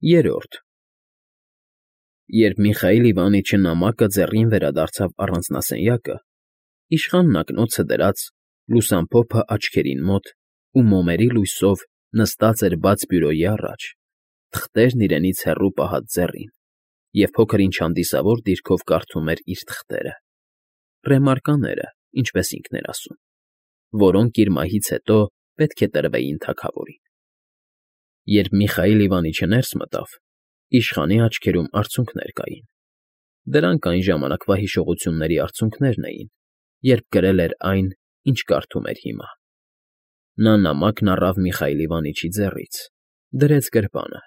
Երրորդ Երբ Միխայիլ Իվանիչը նամակը ձեռին վերադարձավ առանձնասենյակը, իշխանն ակնոցը դրած, լուսամփոփը աչքերին մոտ ու մոմերի լույսով նստած էր բաց բյուրոյի առաջ, թղթերն իրենից հեռու պահած ձեռին, և փոքր-ինչ հանդիսավոր դիրքով կարդում էր իր թղթերը, ռեմարկաները, ինչպես ինքն էր ասում, որոնք իր մահից հետո պետք է տրվեին թագավորին։ Երբ Միխայիլ Իվանիչը ներս մտավ, իշխանի աչքերում արցունքներ կային. դրանք այն ժամանակվա հիշողությունների արցունքներն էին, երբ գրել էր այն, ինչ կարդում էր հիմա։ Նա նամակն առավ Միխայիլ Իվանիչի ձեռից, դրեց գրպանը,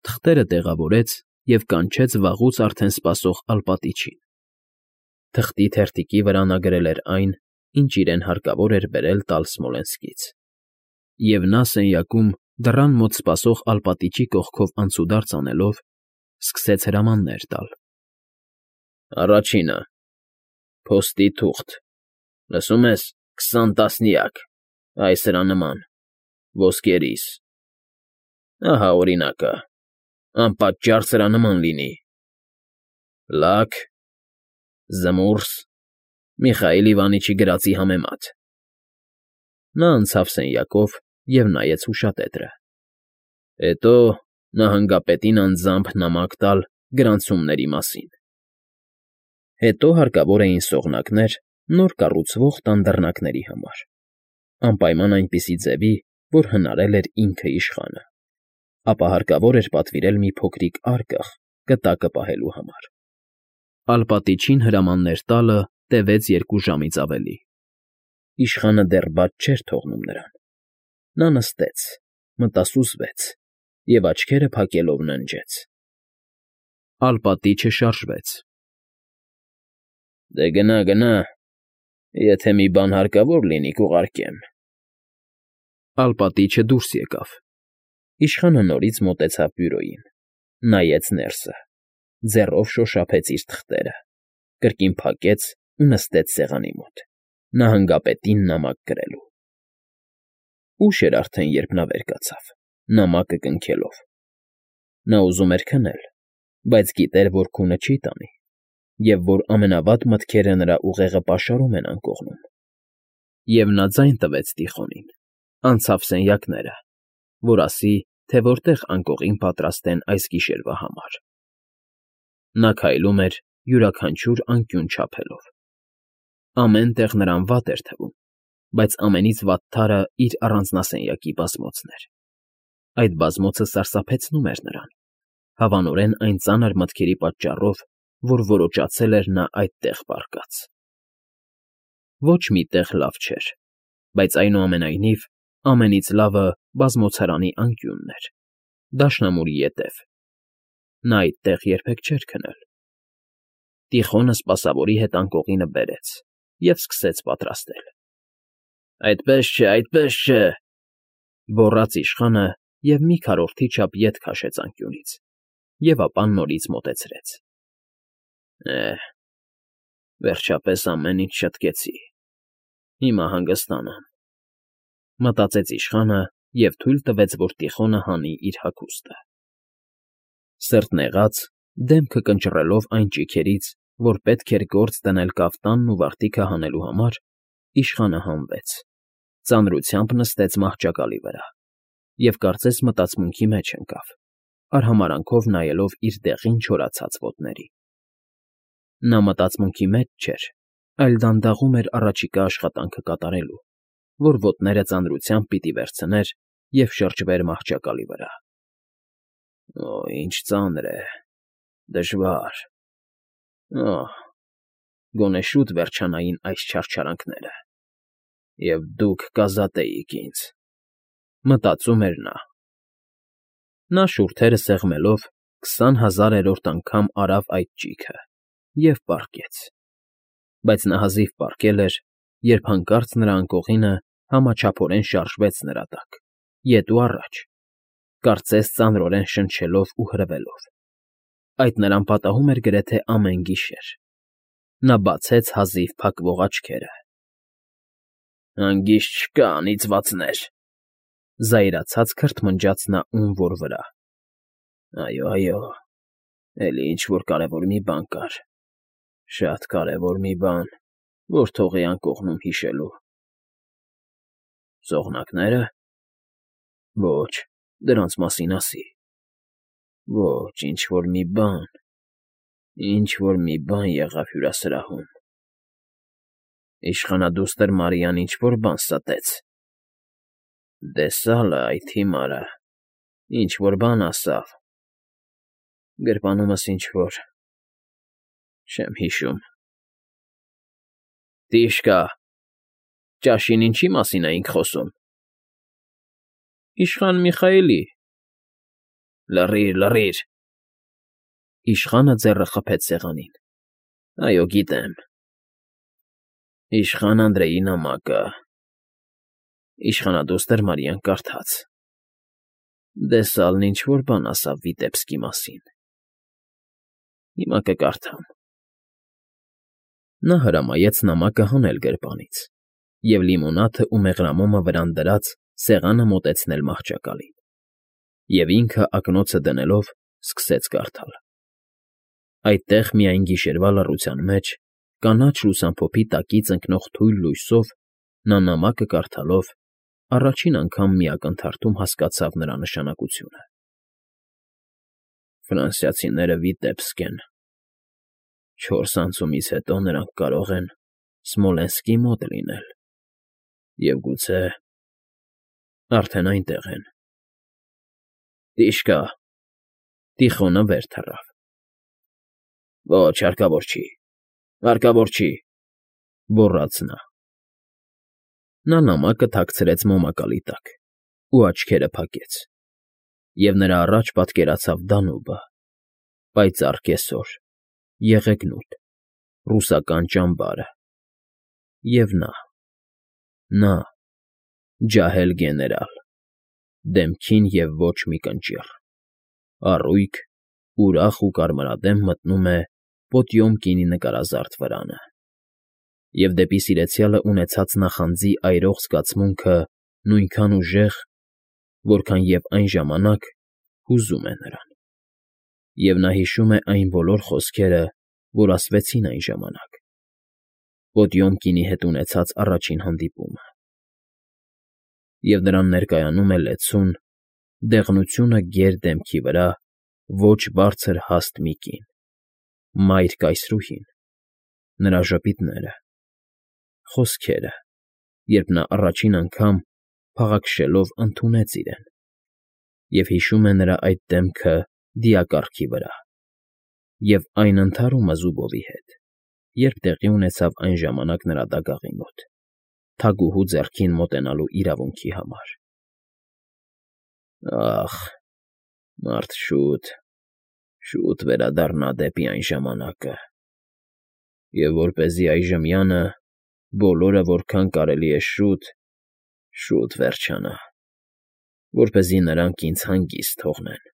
թղթերը տեղավորեց և կանչեց վաղուց արդեն սպասող Ալպատիչին։ Թղթի թերթիկի վրա նա գրել էր այն, ինչ իրեն հարկավոր էր բերել տալ Սմոլենսկից, և նա սենյակում դռան մոտ սպասող Ալպատիչի կողքով անցուդարձ անելով, սկսեց հրամաններ տալ. Առաջինը՝ փոստի թուղթ, լսում ես, 20 տասնյակ, այ սրա նման, ոսկերիս, ահա օրինակը, անպատճառ սրա նման լինի, լաք, զմուրս, Միխայիլ Իվանիչի գրածի համեմատ։ Նա անցավ սենյակով և նայեց հուշատետրը։ Հետո նահանգապետին անձամբ նամակ տալ գրանցումների մասին։ Հետո հարկավոր էին սողնակներ նոր կառուցվող տան դռնակների համար, անպայման այնպիսի ձևի, որ հնարել էր ինքը իշխանը, ապա հարկավոր էր պատվիրել մի փոքրիկ արկղ կտակը պահելու համար։ Ալպատիչին հրամաններ տալը տևեց 2 ժամից ավելի։ Իշխանը դեռ բաց չէր թողնում նրան։ Նա նստեց, մտասուզվեց և աչքերը փակելով ննջեց։ Ալպատիչը շարժվեց։ Դե գնա, գնա, եթե մի բան հարկավոր լինի, կուղարկեմ։ Ալպատիչը դուրս եկավ։ Իշխանը նորից մոտեցավ բյուրոյին, նայեց ներսը, ձեռով շոշափեց իր թղթերը, կրկին փակեց ու նստեց սեղանի մոտ, նահանգապետին նամակ գրելու։ Ուշ էր արդեն, երբ նա վեր կացավ, նամակը կնքելով։ Նա ուզում էր քնել, բայց գիտեր, որ քունը չի տանի, և որ ամենավատ մտքերը նրա ուղեղը պաշարում են անկողնում։ Եվ նա ձայն տվեց Տիխոնին, անցավ սենյակները, որ ասի, թե որտեղ անկողին պատրաստեն այս գիշերվա համար։ Նա քայլում էր յուրաքանչյուր անկյուն չափելով։ Ամեն տեղ նրան վատ էր թվում, բայց ամենից վատթարը իր առանձնասենյակի բազմոցն էր։ Այդ բազմոցը սարսափեցնում էր նրան, հավանորեն այն ծանր մտքերի պատճառով, որ որոջացել էր նա այդտեղ պառկած։ Ոչ մի տեղ լավ չէր, բայց այնուամենայնիվ ամենից լավը բազմոցարանի անկյունն էր, դաշնամուրի ետև։ Նա այդտեղ երբեք չէր քնել։ Տիխոնը սպասավորի հետ անկողինը բերեց և սկսեց պատրաստել։ Այդպես չէ, այդպես չէ, գոռաց իշխանը և մի քառորդի չափ ետ քաշեց անկյունից, և ապա նորից մոտեցրեց։ Վերջապես ամեն ինչ շըտկեցի, հիմա հանգստանամ, մտածեց իշխանը և թույլ տվեց, որ Տիխոնը հանի իր հագուստը։ Սրտնեղած, դեմքը կնճռելով այն ճիգերից, որ պետք էր գործ դնել կաֆտանն ու վարտիքը հանելու համար, իշխանը հանվեց, ծանրությամբ նստեց մահճակալի վրա և կարծես մտածմունքի մեջ ընկավ, արհամարհանքով նայելով իր դեղին չորացած ոտներին։ Նա մտածմունքի մեջ չէր, այլ դանդաղում էր առաջիկա աշխատանքը կատարելու, որ ոտները ծանրությամբ պիտի վերցներ և շրջվեր մահճակալի վրա։ Ինչ ծանր է, դժվար, գոնե շուտ վերջանային այս չարչարանքները, և դուք կազատեիք ինձ, մտածում էր նա։ Նա շուրթերը սեղմելով 20,000-րդ անգամ արավ այդ ճիգը և պառկեց, բայց նա հազիվ պառկել էր, երբ հանկարծ նրա անկողինը համաչափորեն շարժվեց նրա տակ, ետ ու առաջ, կարծես ծանրորեն շնչելով ու հրվելով։ Այդ նրան պատահում էր գրեթե ամեն գիշեր։ Նա բացեց հազիվ փակվող աչքերը։ Հանգիստ չկա, անիծվածներ, զայրացած քրթմնջաց նա ում որ վրա։ Այո, էլի ինչ֊որ կարևոր մի բան կար, շատ կարևոր մի բան, որ թող է անկողնում հիշելու։ Սողնակնե՞րը։ Ոչ, դրանց մասին ասի։ Ոչ, ինչ֊որ մի բան եղավ հյուրասրահում։ Իշխանադուստր Մարիան ինչ֊որ բան ստեց։ Դե սալը, այդ հիմարը, ինչ֊որ բան ասավ։ Գրպանումս ինչ֊որ… չեմ հիշում։ Տիշկա, ճաշին ինչի մասին էինք խոսում։ Իշխան Միխայելի… Լռիր… Իշխանը ձեռը խփեց սեղանին։ Այո, գիտեմ… Իշխան Անդրեի նամակը… Իշխանադուստր Մարիան կարդաց. Դե Սալն ինչ֊որ բան ասավ Վիտեբսկի մասին… Հիմա կկարդամ… Նա հրամայեց նամակը հանել գրպանից և լիմոնադն ու մեղրամոմը վրան դրած սեղանը մոտեցնել մահճակալին, և ինքը ակնոցը դնելով սկսեց կարդալ… Այդտեղ միայն գիշերվա լռության մեջ, կանաչ լուսամփոփի տակից ընկնող թույլ լույսով նա նամակը կարդալով առաջին անգամ մի ակնթարթում հասկացավ նրա նշանակությունը. Ֆրանսիացիները Վիտեբսկ են… 4 անցումից հետո նրանք կարող են Սմոլենսկի մոտ լինել և գուցե… արդեն այնտեղ են… Տիշկա… Տիխոնը վեր թռավ։ Ոչ, հարկավոր չի… գոռաց նա։ Նա նամակը թաքցրեց մոմակալի տակ ու աչքերը փակեց, և նրա առաջ պատկերացավ Դանուբը, պայծառ կեսօր, եղեգնուտ, ռուսական ճամբարը… և նա, ջահել գեներալ, դեմքին և ոչ մի կնճիռ, առույգ, ուրախ ու կարմրադեմ մտնում է Պոտյոմկինի նկարազարդ վրանը, և դեպի սիրեցյալը ունեցած նախանձի այրող զգացմունքը նույնքան ուժեղ, որքան և այն ժամանակ հուզում է նրան, և նա հիշում է այն բոլոր խոսքերը, որ ասվեցին այն ժամանակ, Պոտյոմկինի հետ ունեցած առաջին հանդիպումը… և նրան ներկայանում է լեցուն, դեղնությունը գեր դեմքի վրա ոչ բարձր հաստ մի կին, մայր կայսրուհին, նրա ժպիտները, խոսքերը, երբ նա առաջին անգամ, փաղաքշելով, ընդունեց իրեն, և հիշում է նրա այդ դեմքը դիակառքի վրա, և այն ընդհարումը Զուբովի հետ, երբ տեղի ունեցավ այն ժամանակ նրա դագաղի մոտ, թագուհու ձեռքին մոտենալու իրավունքի համար… Ախ, մարդ շուտ վերադառնա դեպի այն ժամանակը, և որպեսզի այժմյանը բոլորը որքան կարելի է շուտ վերջանա, որպեսզի նրանք ինձ հանգիստ թողնեն…